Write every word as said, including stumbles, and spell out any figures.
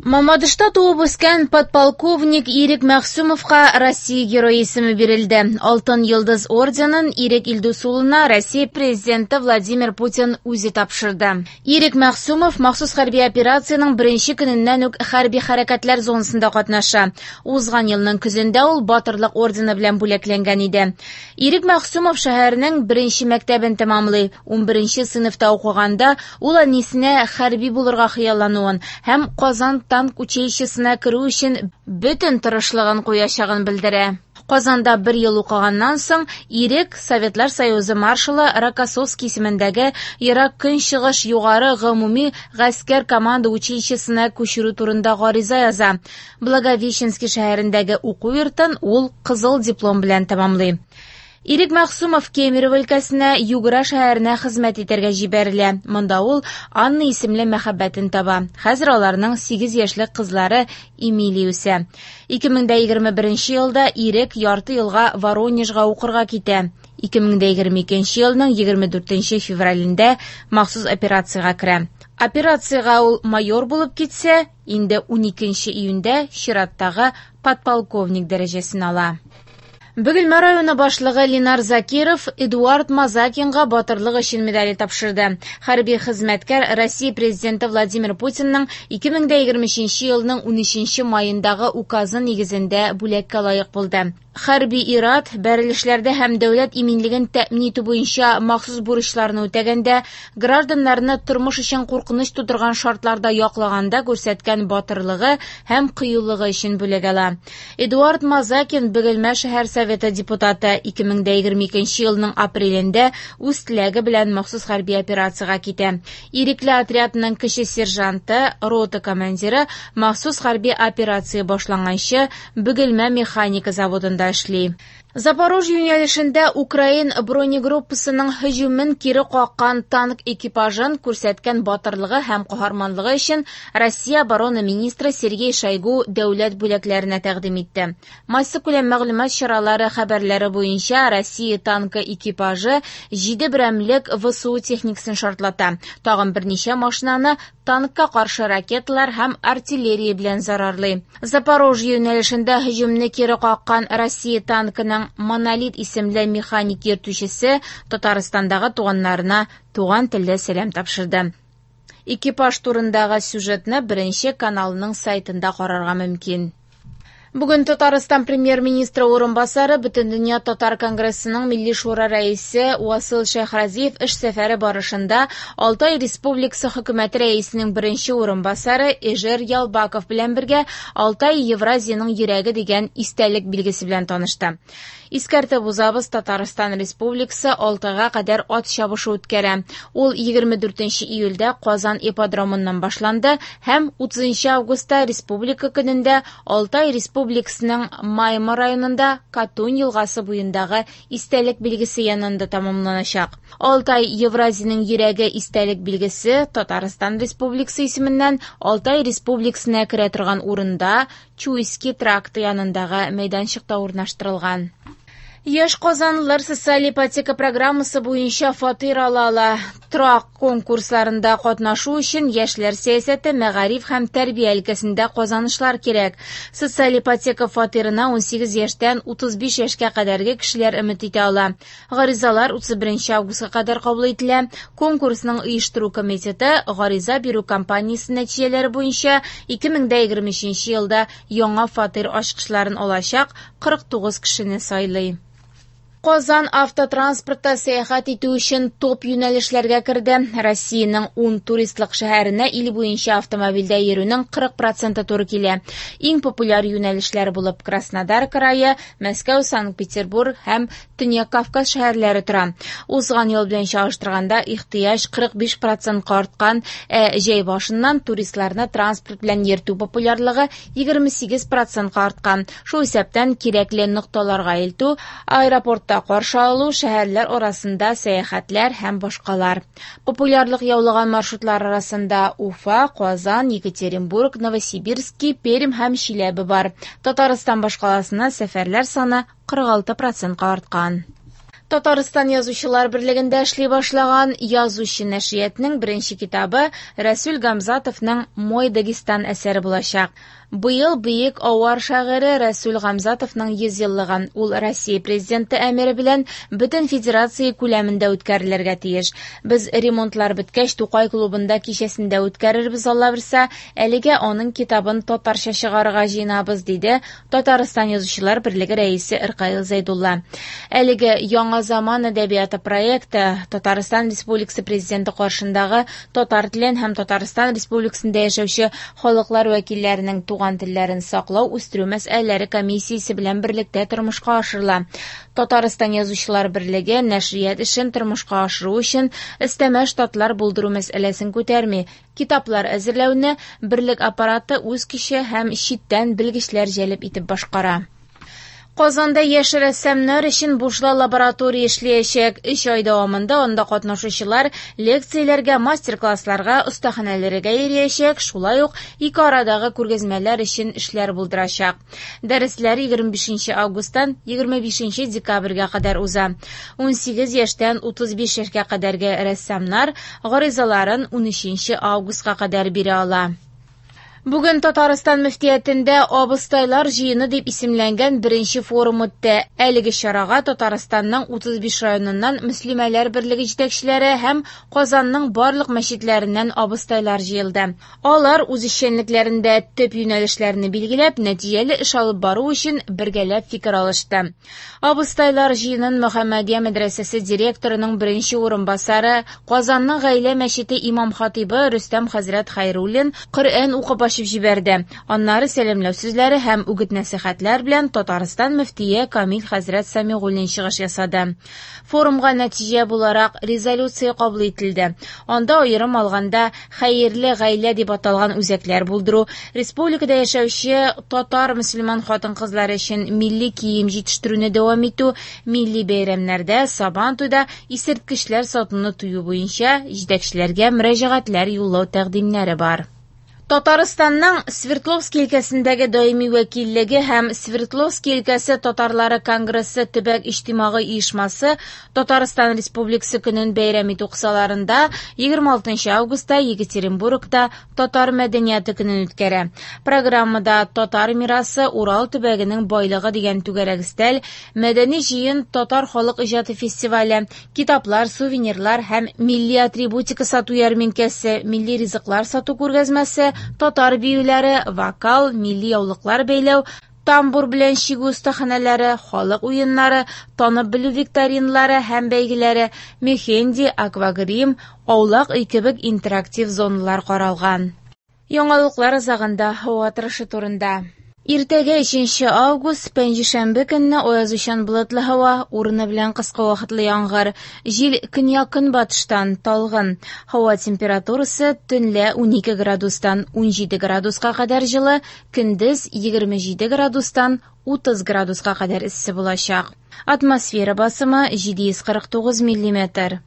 Мамадышта туып үскән подполковник Ирек Мәгъсүмовка Россия Герое исеме бирелде. Алтын Йолдыз орденын Ирек Илдус улына Россия президенты Владимир Путин үзе тапшырды. Ирек Мәгъсүмов махсус хәрби операциянең беренче көненнән үк хәрби хәрәкәтләр зонасында катнаша. Узган елның көзендә ул Батырлык ордены белән бүләкләнгән иде. Ирек Мәгъсүмов шәһәрнең беренче мәктәбен тәмамлый. Унберенче сыйныфта укыганда ул әнисенә хәрби булырга хыяллануын һәм Казан танк училищесына керү өчен бөтен тырышлыгын куячагын белдерә. Казанда бер ел укыганнан соң Ирек Советлар Союзы маршалы Рокоссовский исемендәге Ерак Көнчыгыш югары гомуми гаскәр команда училищесына күчерү турында гариза яза. Благовещенский шәһәрендәге уку йортын ул кызыл диплом белән тәмамлый. Ирек Мәгъсүмов Кемерово өлкәсенә Югра шәһәренә хезмәт итәргә җибәрелә. Монда ул Анна исемле мәхәббәтен таба. Хәзер аларның сигез яшьлек кызлары Эмилия үсә. ике мең дә егерме беренче елда Ирек ярты елга Воронежга укырга китә. ике мең дә егерме икенче елның егерме дүртенче февралендә махсус операциягә керә. Операциягә ул майор булып китсә, инде уникенче июньдә чираттагы подполковник дәрәҗәсен ала. Бөгелмә районы башлыгы Ленар Закиров Эдуард Мазакинга батырлык өчен медале тапшырды. Хәрби хезмәткәр Россия президенты Владимир Путинның ике мең дә егерме өченче елның унөченче маендагы указы нигезендә бүләккә лаек булды. Хәрби ират бәрелешләрдә һәм дәүләт иминлеген тәэмин итү буенча махсус бурычларны үтәгәндә гражданнарны тормыш өчен куркыныч тудырган шартларда яклаганда күрсәткән батырлыгы һәм кыюлыгы өчен бүләк ала. Эдуард Мазакин Бөгелмә шәһәр советы депутаты ике мең дә егерме икенче елның апрелендә үз теләге белән махсус хәрби операциягә китә. Ирекле отрядның кече сержанты, рота командиры махсус хәрби операция башланганчы Бөгелмә механика заводында эшли. Запорожье юнәлешендә Украин бронегруппасының һөҗүмен кире каккан танк экипажын күрсәткән батырлыгы һәм каһарманлыгы өчен Россия оборона министры Сергей Шойгу дәүләт бүләкләренә тәкъдим итте. Массакүләм мәгълүмат чаралары хәбәрләре буенча Россия танкы экипажы җиде берәмлек ВСУ техникасын шартлата. Тагын берничә машинаны танкка каршы ракеталар һәм артиллерия белән зарарлый. Запорожье юнәлешендә һөҗүмне кире каккан Россия танкының Монолит исемле механик йөртүчесе Татарстандагы туганнарына туган телдә сәлам тапшырды. Экипаж турындагы сюжетны беренче каналның сайтында карарга мөмкин. Бүген Татарстан премьер-министры урынбасары, Бөтендөнья татар конгрессының Милли шура рәисе Васил Шәйхразиев эш сәфәре барышында Алтай Республикасы хөкүмәте рәисенең беренче урынбасары Эжер Ялбаков белән бергә Алтай Евразиянең йөрәге дигән истәлек билгесе белән танышты. Искәртеп узабыз, Татарстан Республикасы Алтайга кадәр ат чабышы үткәрә. Ул егерме дүртенче июльдә Казан ипподромыннан башланды һәм утызынчы августта Республика көнендә Алтай Республикасының Майма районында Катунь елгасы буендагы истәлек билгесе янында тәмамланачак. Алтай Евразиянең йөрәге истәлек билгесе Татарстан Республикасы исеменнән Алтай Республикасына керә торган урында Чуйский тракты янындагы мәйданчыкта урнаштырылган. Яшь казанлылар социаль ипотека программасы буенча фатир ала ала. Торак конкурсларында катнашу өчен яшьләр сәясәте, мәгариф һәм тәрбия өлкәсендә казанышлар кирәк. Социаль ипотека фатирына унсигез яшьтән утыз биш яшькә кадәрге кешеләр өмет итә ала. Гаризалар утыз беренче августка кадәр кабул ителә. Конкурсның оештыру комитеты гариза бирү кампаниясе нәтиҗәләре буенча ике мең дә егерме өченче елда яңа фатир ачкычларын алачак кырык тугыз кешене сайлый. Казан автотранспортта сәяхәт итү өчен топ юнәлешләргә керде. Россиянең ун туристлык шәһәренә ил буенча автомобильдә йөрүнең кырык проценты туры килә. Иң популяр юнәлешләр булып Краснодар крае, Мәскәү, Санкт-Петербург һәм Төньяк Кавказ шәһәрләре тора. Узган ел белән чагыштырганда ихтыяҗ кырык биш процентка арткан, ә җәй башыннан туристларны транспорт белән йөртү популярлыгы егерме сигез процентка арткан. Шул исәптән кирәкле нокталарга илтү, аэропортта каршы алу, шәһәрләр арасында сәяхәтләр һәм башкалар. Популярлык яулаган маршрутлар арасында Уфа, Казан, Екатеринбург, Новосибирский, Пермь һәм Чиләбе бар. Татарстан башкаласына сәфәрләр саны кырык алты процентка арткан. Татарстан Язучылар берлегендә эшли башлаган Язучы нәшриятының беренче китабы Рәсүл Гамзатовның «Мой Дагестан» әсәре булачак. Быел бөек авар шагыйре Рәсүл Гамзатовның йөз еллыгы. Ул Россия президенты әмере белән бөтен федерация күләмендә үткәрелергә тиеш. Без ремонтлар беткәч Тукай клубында кичәсендә үткәрербез, Алла бирсә, әлегә аның китабын татарча чыгарырга җыенабыз, диде Татарстан Язучылар берлеге рәисе Ркаил Зәйдулла. Әлеге Яңа заман әдәбияты проекты Татарстан Республикасы президенты каршындагы татар телен һәм Татарстан Республикасында яшәүче халыклар вәкилләренең туган телләрен саклау, үстерү мәсьәләләре комиссиясе белән берлектә тормышка ашырыла. Татарстан Язучылар берлеге нәшрият эшен тормышка ашыру өчен өстәмә штатлар булдыру мәсьәләсен күтәрми. Китаплар әзерләүне берлек аппараты үз көче һәм читтән белгечләр җәлеп итеп башкара. Казанда яшь рәссамнар өчен бушлай лаборатория эшләячәк. Өч ай дәвамында анда катнашучылар лекцияләргә, мастер-классларга, остаханәләргә йөриячәк, шулай ук ике арадагы күргәзмәләр өчен эшләр булдырачак. Дәресләр егерме бишенче августтан егерме бишенче декабрьгә кадәр уза. ун сигез яшьтән утыз биш яшькә кадәрге рәссамнар гаризаларын ун өченче августка кадәр бирә ала. Бүген Татарстан мөфтиятендә Абыстайлар җыены дип исемләнгән беренче форум үтте. Әлеге чарага Татарстанның утыз биш районыннан мөслимәләр берлеге җитәкчеләре һәм Казанның барлык мәчетләреннән абыстайлар җыелды. Алар үз эшчәнлекләрендә төп юнәлешләрне билгеләп, нәтиҗәле эш алып бару өчен бергәләп фикер алышты. Абыстайлар җыенын Мөхәммәдия мәдрәсәсе директорының беренче урынбасары, Казанның гаилә мәчете имам хатибы Рөстәм хәзрәт Хайруллин Коръән укып ачып җибәрде. Аннары сәламләү сүзләре һәм үгет-нәсихәтләр белән Татарстан мөфтие Камил хәзрәт Самигуллин чыгыш ясады. Форумга нәтиҗә буларак резолюция кабул ителде. Анда аерым алганда хәерле гаилә дип аталган үзәкләр булдыру, республикада яшәүче татар мөселман хатын-кызлары өчен милли кием җитештерүне дәвам итү, милли бәйрәмнәрдә, Сабантуйда исерткечләр сатуны тыю буенча җитәкчеләргә мөрәҗәгатьләр юллау тәкъдимнәре бар. Татарстанның Свердловский өлкәсендәге даими вәкиллеге һәм Свердловский өлкәсе татарлары конгрессы төбәк иҗтимагый оешмасы Татарстан Республикасы көнен бәйрәм итү кысаларында егерме алтынчы августта Екатеринбургта Татар мәдәнияте көнен үткәрә. Программада Татар мирасы Урал төбәгенең байлыгы дигән түгәрәк өстәл, мәдәни җыен, татар халык иҗаты фестивале, китаплар, сувенирлар һәм милли атрибутика сату ярминкәсе, милли ризыклар сату күргәзмәсе, татар биюләре, вокал, милли яулыклар бәйләү, тамбур белән чигү остаханәләре, халык уеннары, танып белү викториналары һәм бәйгеләре, мехенди, аквагрим, аулак өй кебек интерактив зоналар каралган. Яңалыклар азагында һава торышы турында. Иртәгә өченче август, пәнҗешәмбе көнне аязучан болытлы һава, урыны белән кыска вакытлы яңгыр, җил көньяк-көнбатыштан талгын. Һава температурасы төнлә унике градустан ун җиде градуска кадәр җылы, көндез егерме җиде градустан утыз градуска кадәр эссе булачак. Атмосфера басымы җиде йөз кырык тугыз миллиметр.